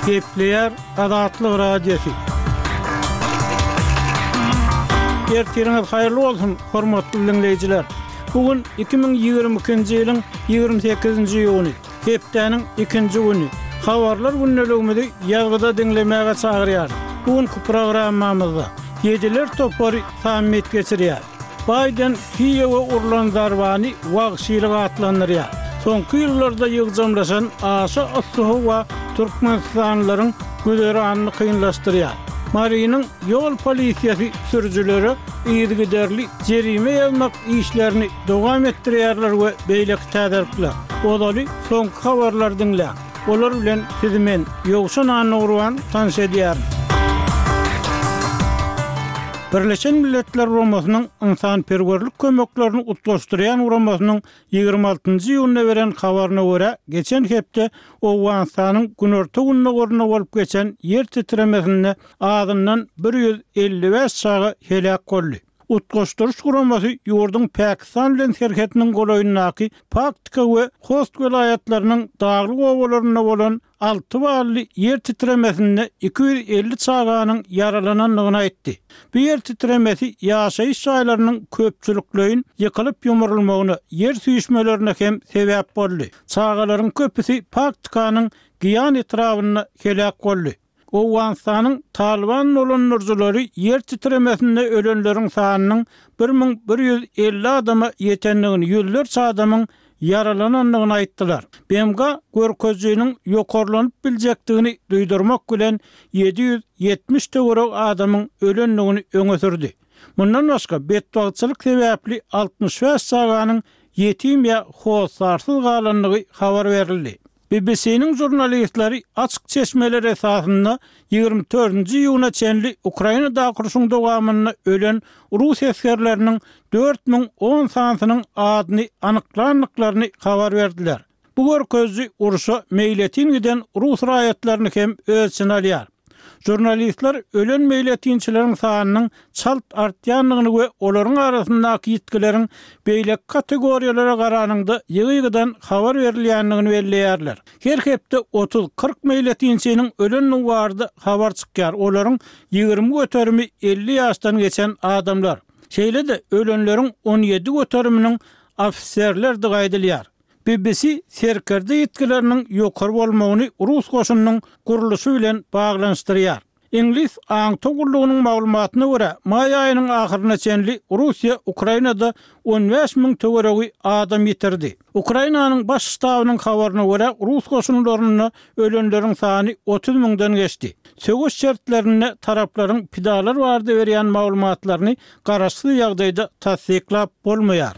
Gepleýär Azatlyk Radiosy. Ertiriňiz haýyrly bolsun, hormatly diňleýjiler! Bu gün 2022-nji ýylyň 28-nji iýuny, hepdäniň ikinji güni. Habarlar gündeligimizi ýazgyda diňlemäge çagyrýarys. Bu günki programmamyzda Ýediler topary sammit geçirýär. Baýden Kiýewe urlan zarbany wagşylyk atlandyrýar. Soňky ýyllarda ýygjamlaşan aşa yssy howa türkmenistanlylaryň güzeranyny kynlaşdyrýar. Marynyň ýol polisiýasy sürüjilere yzygiderli jerime ýazmak işlerini dowam etdirýärler we beýleki täzelikler. Ozaly soňky habarlary diňläň. Olar bilen sizi men, Ýowşan Annagurban tanyş edýärin. Birleşen Milletler Guramasynyň ynsanperwerlik kömeklerini utgaşdyrýan guramasynyň 26-njy iýunda beren habaryna görä, geçen hepde Owganystanyň günorta-gündogarynda bolup geçen ýer titremesinde azyndan 155 çaga heläk boldy. Utgaşdyryş guramasy ýurduň Pakistan bilen serhediniň golaýyndaky Paktika we Host welaýatlarynyň daglyk obalarynda bolan alty bally ýer titremesinde 250 çaganyň ýaralanandygyny aýtdy. Bu ýer titremesi ýaşaýyş jaýlarynyň köpçülikleýin ýykylyp-ýumrulmagyna, ýer süýşmelerine hem sebäp boldy. Çagalaryň köpüsi Paktikanyň Giýan etrabynda heläk boldy. Owganystanyň Talyban dolandyryjylary ýer titremesinde ölenleriň sanynyň 1150 adama ýetendigini, ýüzlerçe adamyň ýaralanandygyny aýtdylar. BMG görkezijiniň ýokarlanyp biljekdigini duýdurmak bilen, 770 töweregi adamyň ölendigini öňe sürdi. Mundan başga, betbagtçylyk sebäpli 65 çaganyň ýetim ýa hossarsyz galandygy habar berildi. BBC-niň žurnalistleri açyk çeşmeler esasynda 24-nji iýuna çenli Ukrainadaky urşuň dowamynda ölen rus esgerleriniň 4010 sanysynyň adyny anyklandyklaryny habar berdiler. Bu görkeziji urşa meýletin giden rus raýatlaryny hem öz içine alýar. Žurnalistler ölen meýletinçileriň sanynyň çalt artýandygyny we olaryň arasyndaky ýitgileriň beýleki kategoriýalara garanyňda ýygy-ýygydan habar berilýändigini belleýärler. Her hepde otuz-kyrk meýletinçiniň ölendigi barada habar çykýar, olaryň 20 göterimi 50 ýaşdan geçen adamlar. Şeýle-de, ölenleriň 17 göteriminiň ofiserlerdigi aýdylýar. BBC serkerde ýitgileriniň ýokary bolmagyny rus goşunynyň gurluşy bilen baglanyşdyrýar. Iňlis aňtaw gullugynyň maglumatyna görä, maý aýynyň ahyryna çenli Russiýa Ukrainada 15 müň töweregi adam ýitirdi. Ukrainanyň Baş ştabynyň habaryna görä, rus goşunlarynda ölenleriň sany 30 müňden geçdi. Söweş şertlerinde taraplaryň pidalar barada berýän maglumatlaryny garaşsyz ýagdaýda tassyklap bolmaýar.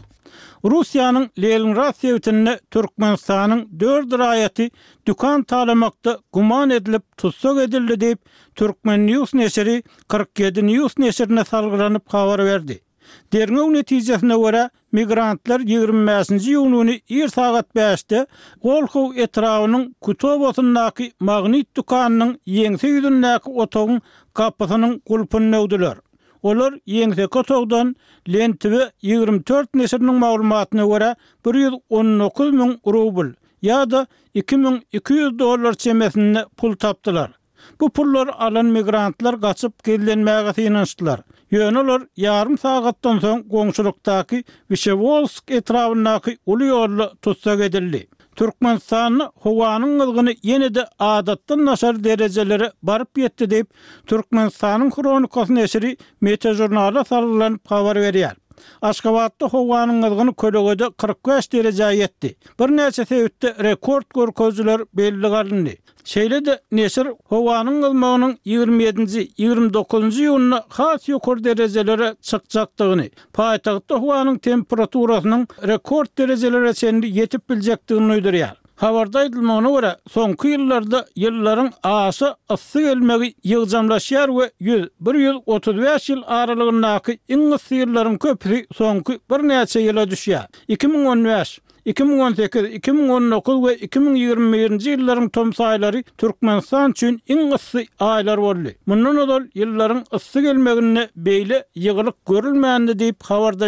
Russiýanyň Leningrad sebitinde Türkmenistanyň dört raýaty dükan talamakda güman edilip tussag edildi diýip, Turkmen. News neşiri 47 News neşirine salgylanyp habar berdi. Derňew netijesine görä, migrantlar 25-nji iýun güni ir sagat bäşde Wolhow etrabynyň Kutobasyndaky Magnit dükanynyň ýeňse ýüzündäki otagyň gapysynyň gulpuny döwdüler. Olar ýeňseki otagdan Lentv 24 neşiriniň maglumatyna görä, 119 müň rubl ýa-da 2200 dollar çemesinde pul tapdylar. Bu pullary alan migrantlar gaçyp gizlenmäge synanyşdylar. Ýöne olar ýarym sagatdan soň goňşulykdaky Wşewolsk etrabyndaky uly ýolda tussag edildi. Türkmenistanda howanyň gyzgyny ýene-de adatdan daşary derejelere baryp ýetdi diýip, Türkmenistanyň Hronikasy neşiri Meteožurnala salgylanyp habar berýär. Aşgabatda howanyň gyzgyny kölegede 45 derejä ýetdi. Birnäçe sebitde rekord görkezijiler bellige alyndy. Şeýle-de neşir howanyň gyzmagynyň 27-nji, 29-njy iýunda has ýokary derejelere çykjakdygyny, paýtagtda howanyň temperaturasynyň rekord derejelere çenli ýetip biljekdigini duýdurýar. Habarda aýdylmagyna görä, soňky ýyllarda ýyllaryň aşa yssy gelmegi ýygjamlaşýar we 100, 135 ýyl aralygyndaky iň yssy ýyllaryň köpüsi soňky birnäçe ýyla düşýär. 2015, 2018, 2019 we 2021-nji ýyllaryň tomus aýlary Türkmenistan üçin iň yssy aýlar boldy. Mundan ozal ýyllaryň yssy gelmeginde beýle ýygylyk görülmändi diýip, habarda.